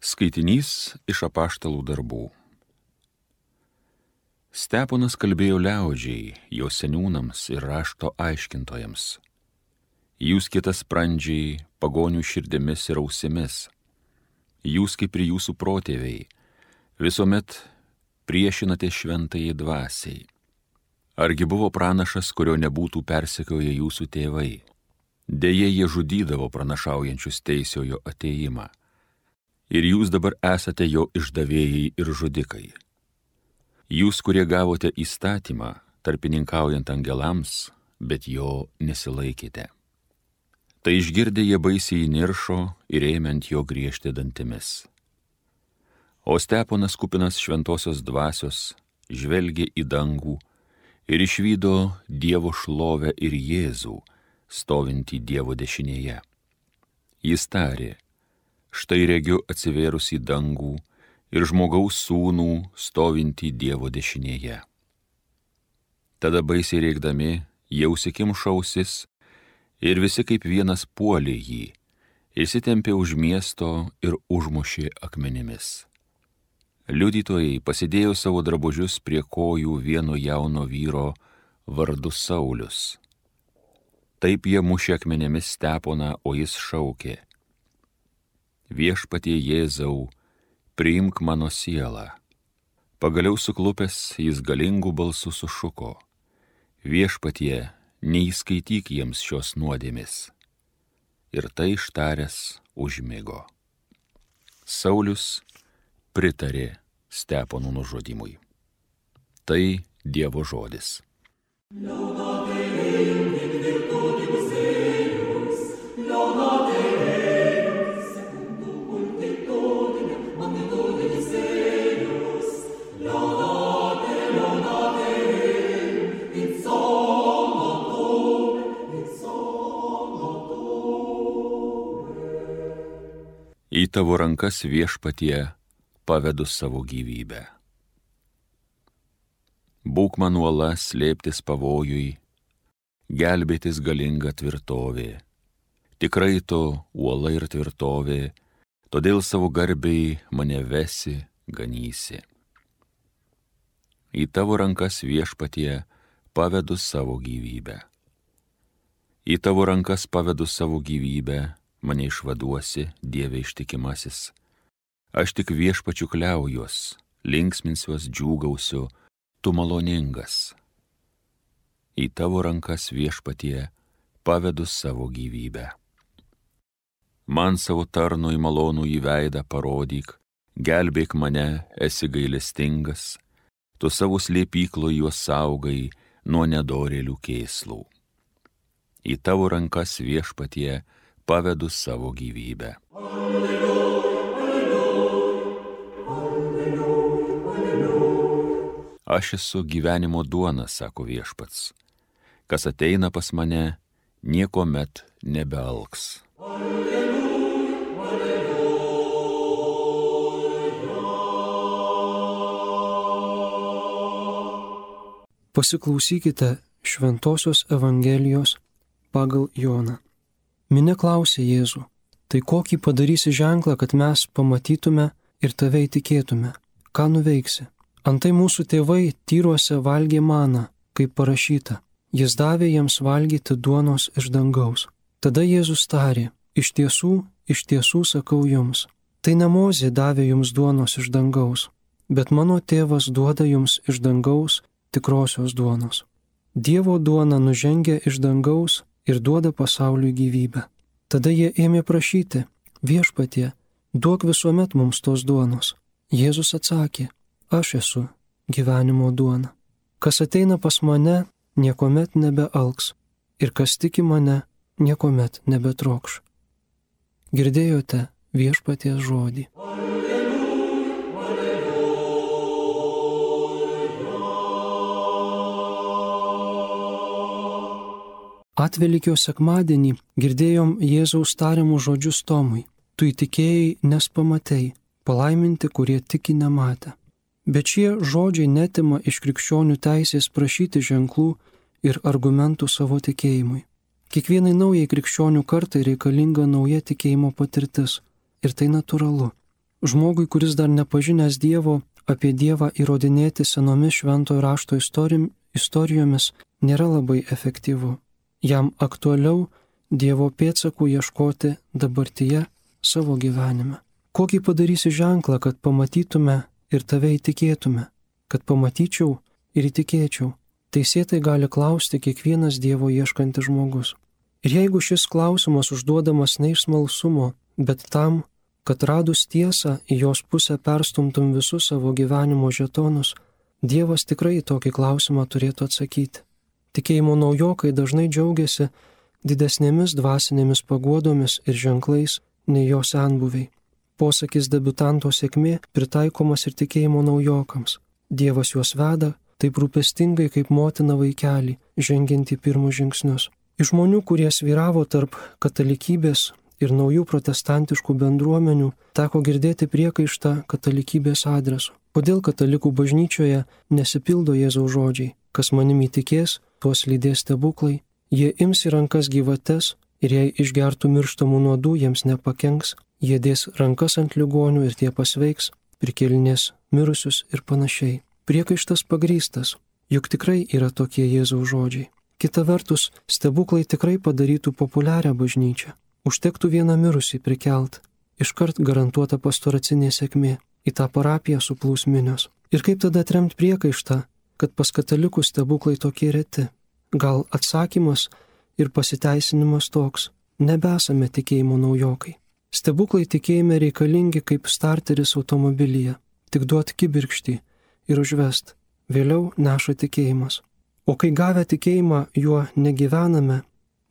Skaitinys iš apaštalų darbų. Steponas kalbėjo liaudžiai, jo seniūnams ir rašto aiškintojams. Jūs kietasprandžiai, pagonių širdimis ir ausimis. Jūs kaip ir jūsų protėviai, visuomet priešinate šventajai dvasiai. Argi buvo pranašas, kurio nebūtų persekioję jūsų tėvai? Deja, jie žudydavo pranašaujančius teisiojo atėjimą. Ir jūs dabar esate jo išdavėjai ir žudikai. Jūs, kurie gavote įstatymą, tarpininkaujant angelams, bet jo nesilaikėte. Tai išgirdę jie baisiai įniršo ir ėmė ant jo griežti dantimis. O Steponas kupinas šventosios dvasios žvelgė į dangų ir išvydo Dievo šlovę ir Jėzų, stovintį Dievo dešinėje. Jis tarė: štai regiu atsivėrus į dangų ir žmogaus sūnų stovintį Dievo dešinėje. Tada baisiai rėkdami jie užsikimšo ausis ir visi kaip vienas puolė jį, išsitempė už miesto ir užmušė akmenimis. Liudytojai pasidėjo savo drabužius prie kojų vieno jauno vyro vardu Saulius. Taip jie mušė akmenimis Steponą, o jis šaukė: Viešpatie Jėzau, priimk mano sielą. Pagaliau suklupęs jis galingų balsų sušuko: Viešpatie, neįskaityk jiems šios nuodėmės. Ir tai ištaręs užmigo. Saulius pritarė Stepono nužudymui. Tai Dievo žodis. Į tavo rankas, Viešpatie, pavedu savo gyvybę. Būk man uola slėptis pavojui, gelbėtis galinga tvirtovė. Tikrai tu uola ir tvirtovė, todėl savo garbei mane vesi, ganysi. Į tavo rankas, Viešpatie, pavedu savo gyvybę. Į tavo rankas pavedu savo gyvybę, mane išvaduosi, Dieve ištikimasis. Aš tik Viešpačiu kliaujuos, linksminsiuos, džiūgausiu, tu maloningas. Į tavo rankas, Viešpatie, pavedu savo gyvybę. Man savo tarnui malonų į veidą parodyk, gelbėk mane, esi gailestingas, tu savo slėpyklo juos saugai nuo nedorėlių kėslų. Į tavo rankas, Viešpatie, pavedu savo gyvybę. Aš esu gyvenimo duona, sako Viešpats. Kas ateina pas mane, niekuomet nebealks. Pasiklausykite Šventosios Evangelijos pagal Joną. Minia klausė Jėzų: tai kokį padarysi ženklą, kad mes pamatytume ir tave įtikėtume? Ką nuveiksi? Antai mūsų tėvai tyruose valgė maną, kaip parašyta: jis davė jiems valgyti duonos iš dangaus. Tada Jėzus tarė: iš tiesų sakau jums, tai ne Mozė davė jums duonos iš dangaus, bet mano tėvas duoda jums iš dangaus tikrosios duonos. Dievo duona nužengia iš dangaus ir duoda pasauliui gyvybę. Tada jie ėmė prašyti: Viešpatie, duok visuomet mums tos duonos. Jėzus atsakė: aš esu gyvenimo duona. Kas ateina pas mane, niekuomet nebealks, ir kas tiki mane, niekuomet nebetrokš. Girdėjote Viešpaties žodį. Atvelykio sekmadienį girdėjom Jėzaus tariamus žodžius Tomui: tu įtikėjai, nes pamatei, palaiminti, kurie tiki nematę. Bet šie žodžiai netima iš krikščionių teisės prašyti ženklų ir argumentų savo tikėjimui. Kiekvienai naujai krikščionių kartai reikalinga nauja tikėjimo patirtis ir tai natūralu. Žmogui, kuris dar nepažinęs Dievo, apie Dievą įrodinėti senomis šventojo rašto istorijomis nėra labai efektyvu. Jam aktualiau Dievo pėdsakų ieškoti dabartyje savo gyvenime. Kokį padarysi ženklą, kad pamatytume ir tave įtikėtume, kad pamatyčiau ir įtikėčiau? Teisėtai gali klausti kiekvienas Dievo ieškantis žmogus. Ir jeigu šis klausimas užduodamas ne iš smalsumo, bet tam, kad radus tiesą į jos pusę perstumtum visus savo gyvenimo žetonus, Dievas tikrai tokį klausimą turėtų atsakyti. Tikėjimo naujokai dažnai džiaugiasi didesnėmis dvasinėmis paguodomis ir ženklais nei jo senbuviai. Posakis debiutanto sėkmė pritaikomas ir tikėjimo naujokams. Dievas juos veda taip rūpestingai kaip motina vaikelį, žengiant į pirmus žingsnius. Iš žmonių, kurie svyravo tarp katalikybės ir naujų protestantiškų bendruomenių, teko girdėti priekaištą katalikybės adresu. Kodėl katalikų bažnyčioje nesipildo Jėzaus žodžiai? Kas manimi tikės, tuos lydės stebuklai. Jie ims į rankas gyvates ir jei išgertų mirštamų nuodų, jiems nepakenks. Jie dės rankas ant ligonių ir tie pasveiks, prikėlinės mirusius ir panašiai. Priekaištas pagrįstas, juk tikrai yra tokie Jėzaus žodžiai. Kita vertus, stebuklai tikrai padarytų populiarią bažnyčią. Užtektų vieną mirusį prikelt, iškart garantuota pastoracinė sėkmė, į tą parapiją suplūs minios. Ir kaip tada atremti priekaištą, kad pas katalikus stebuklai tokie reti? Gal atsakymas ir pasiteisinimas toks: nebesame tikėjimo naujokai. Stebuklai tikėjime reikalingi kaip starteris automobilyje, tik duot kibirkštį ir užvest, vėliau neša tikėjimas. O kai gavę tikėjimą juo negyvename,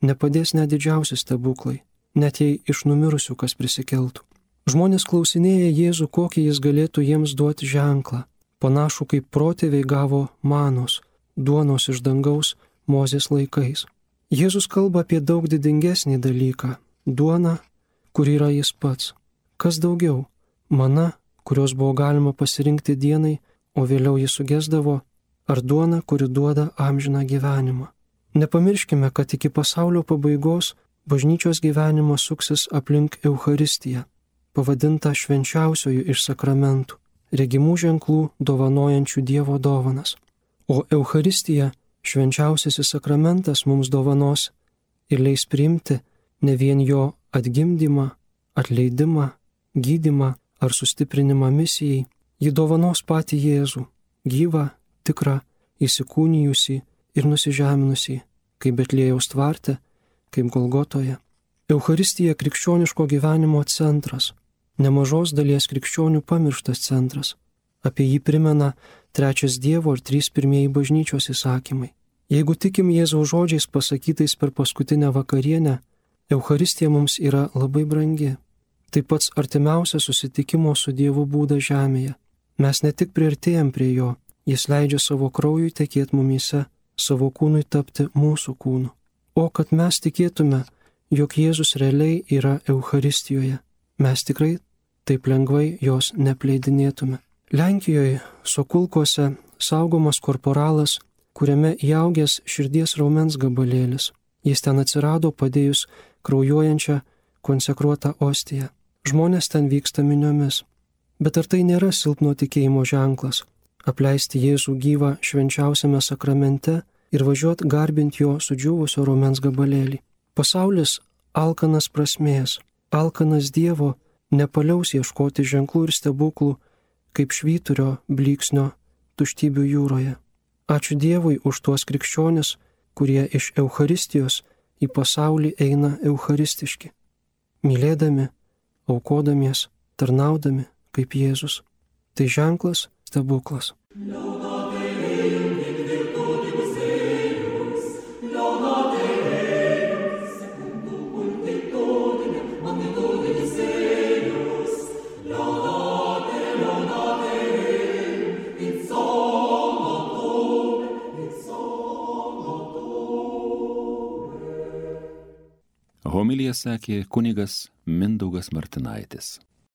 nepadės net didžiausi stebuklai, net jei iš numirusių kas prisikeltų. Žmonės klausinėja Jėzų, kokį jis galėtų jiems duoti ženklą, panašų kaip protėviai gavo manos, duonos iš dangaus Mozės laikais. Jėzus kalba apie daug didingesnį dalyką - duoną, kur yra jis pats. Kas daugiau? Mana, kurios buvo galima pasirinkti dienai, o vėliau jis sugesdavo, ar duona, kuri duoda amžiną gyvenimą. Nepamirškime, kad iki pasaulio pabaigos bažnyčios gyvenimas suksis aplink Eucharistiją, pavadinta švenčiausiojų iš sakramentų, regimų ženklų dovanojančių Dievo dovanas. O Eucharistija, švenčiausiasis sakramentas, mums dovanos ir leis priimti ne vien jo atgimdymą, atleidimą, gydymą ar sustiprinimą misijai, ji dovanos patį Jėzų, gyvą, tikrą, įsikūnijusį ir nusižeminusį, kaip Betliejaus tvarte, kaip Golgotoje. Eucharistija krikščioniško gyvenimo centras, nemažos dalies krikščionių pamirštas centras. Apie jį primena 3 Dievo ir 3 pirmieji bažnyčios įsakymai. Jeigu tikim Jėzaus žodžiais pasakytais per paskutinę vakarienę, Eucharistija mums yra labai brangi. Tai pats artimiausias susitikimo su Dievu būdas žemėje. Mes ne tik priartėjam prie jo, jis leidžia savo kraujui tekėti mumyse, savo kūnui tapti mūsų kūnu. O kad mes tikėtume, jog Jėzus realiai yra Eucharistijoje, mes tikrai taip lengvai jos nepleidinėtume. Lenkijoje Sokulkose saugomas korporalas, kuriame įaugęs širdies raumens gabalėlis. Jis ten atsirado padėjus kraujuojančią konsekruotą ostiją. Žmonės ten vyksta miniomis. Bet ar tai nėra silpno tikėjimo ženklas? Apleisti Jėzų gyvą švenčiausiame sakramente ir važiuot garbint jo sudžiūvusio raumens gabalėlį. Pasaulis alkanas prasmės, alkanas Dievo nepaliaus ieškoti ženklų ir stebuklų kaip švyturio blyksnio tuštybių jūroje. Ačiū Dievui už tuos krikščionis, kurie iš Eucharistijos į pasaulį eina eucharistiški, mylėdami, aukodamies, tarnaudami kaip Jėzus. Tai ženklas, stebuklas. Homiliją sakė kunigas Mindaugas Martinaitis.